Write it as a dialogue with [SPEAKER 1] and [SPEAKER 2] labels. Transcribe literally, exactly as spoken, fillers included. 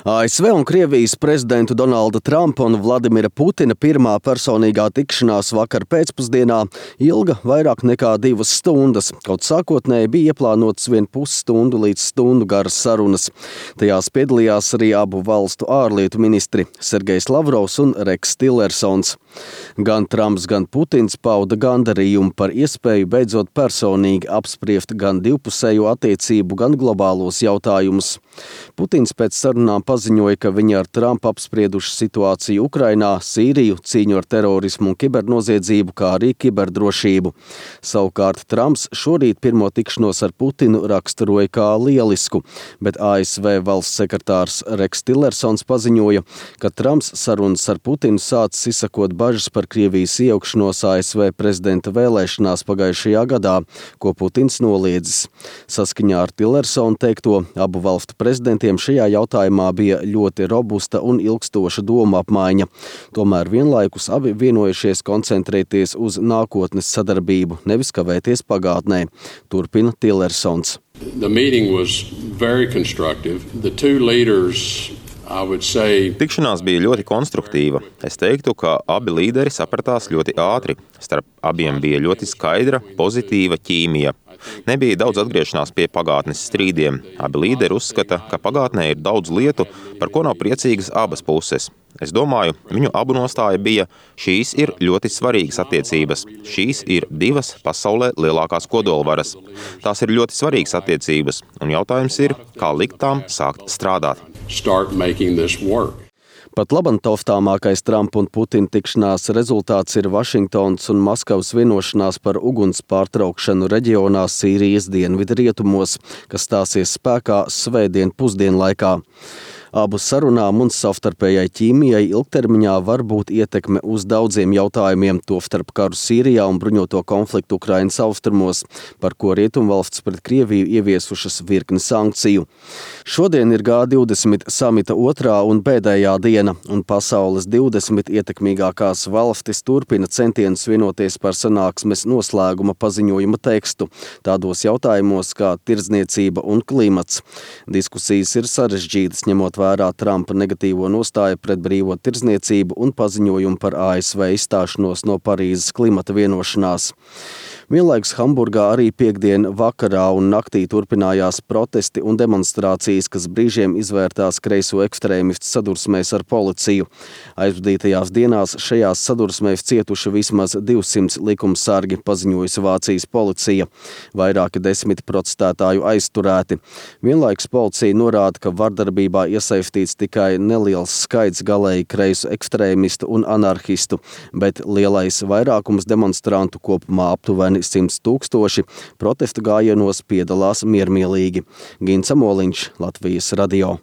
[SPEAKER 1] A S V un Krievijas prezidentu Donalda Trumpa un Vladimira Putina pirmā personīgā tikšanās vakar pēcpusdienā ilga vairāk nekā divas stundas, kaut sākotnēji bija ieplānotas vien pusstundu līdz stundu garas sarunas. Tajās piedalījās arī abu valstu ārlietu ministri Sergejs Lavrovs un Reks Tillersons. Gan Trumps, gan Putins pauda gandarījumu par iespēju beidzot personīgi apspriest gan divpusējo attiecību, gan globālos jautājumus. Putins pēc sarunām paziņoja, ka viņi ar Trumpu apsprieduši situāciju Ukrainā, Sīriju, cīņu ar terorismu un kibernoziedzību, kā arī kiberdrošību. Savukārt Trumps šorīt pirmo tikšanos ar Putinu raksturoja kā lielisku, bet A S V valsts sekretārs Reks Tillersons paziņoja, ka Trumps sarunas ar Putinu sācis izsakot bažas par Krievijas iejaukšanos A S V prezidenta vēlēšanās pagājušajā gadā, ko Putins noliedzis. Saskaņā ar Tillersonu teikto, abu valstu prezidentiem šajā jautājumā bija ļoti robusta un ilgstoša doma apmaiņa. Tomēr vienlaikus abi vienojušies koncentrēties uz nākotnes sadarbību, nevis kavēties pagātnē, turpina Tillersons.
[SPEAKER 2] The meeting was very constructive. The two leaders Say...
[SPEAKER 3] Tikšanās bija ļoti konstruktīva. Es teiktu, ka abi līderi sapratās ļoti ātri. Starp abiem bija ļoti skaidra, pozitīva ķīmija. Nebija daudz atgriešanās pie pagātnes strīdiem. Abi līderi uzskata, ka pagātnē ir daudz lietu, par ko nav priecīgas abas puses. Es domāju, viņu abu nostāja bija, šīs ir ļoti svarīgas attiecības. Šīs ir divas pasaulē lielākās kodolvaras. Tās ir ļoti svarīgas attiecības, un jautājums ir, kā likt tām sākt strādāt.
[SPEAKER 1] Pat labam taustāmākais Trumpa un Putina tikšanās rezultāts ir Vašingtonas un Maskavas vienošanās par uguns pārtraukšanu reģionā Sīrijas dienvidrietumos, kas stāsies spēkā svētdien pusdienlaikā. Abu sarunām un savstarpējai ķīmijai ilgtermiņā var būt ietekme uz daudziem jautājumiem, tostarp karu Sīrijā un bruņoto konfliktu Ukrainas austrumos, par ko rietumvalstis pret Krieviju ieviesušas virkni sankciju. Šodien ir G divdesmit samita otrā un pēdējā diena, un pasaules divdesmit ietekmīgākās valstis turpina centienus vienoties par sanāksmes noslēguma paziņojuma tekstu, tādos jautājumos kā tirdzniecība un klimats. Diskusijas ir sarežģītas, ņemot vērā Trumpa negatīvo nostāju pret brīvo tirdzniecību un paziņojumu par A S V izstāšanos no Parīzes klimata vienošanās. Vienlaikus Hamburgā arī piektdien vakarā un naktī turpinājās protesti un demonstrācijas, kas brīžiem izvērtās kreiso ekstrēmistu sadursmēs ar policiju. Aizvadītajās dienās šajās sadursmēs cietuši vismaz divsimt likumsargi, paziņojusi Vācijas policija. Vairāki desmit protestētāju aizturēti. Vienlaikus policija norāda, ka vardarbībā iesaistīts tikai neliels skaits galēji kreisu ekstrēmistu un anarhistu, bet lielais vairākums demonstrantu, kopumā aptuveni simts tūkstoši, protestu gājienos piedalās miermīlīgi. Gints Amoliņš, Latvijas radio.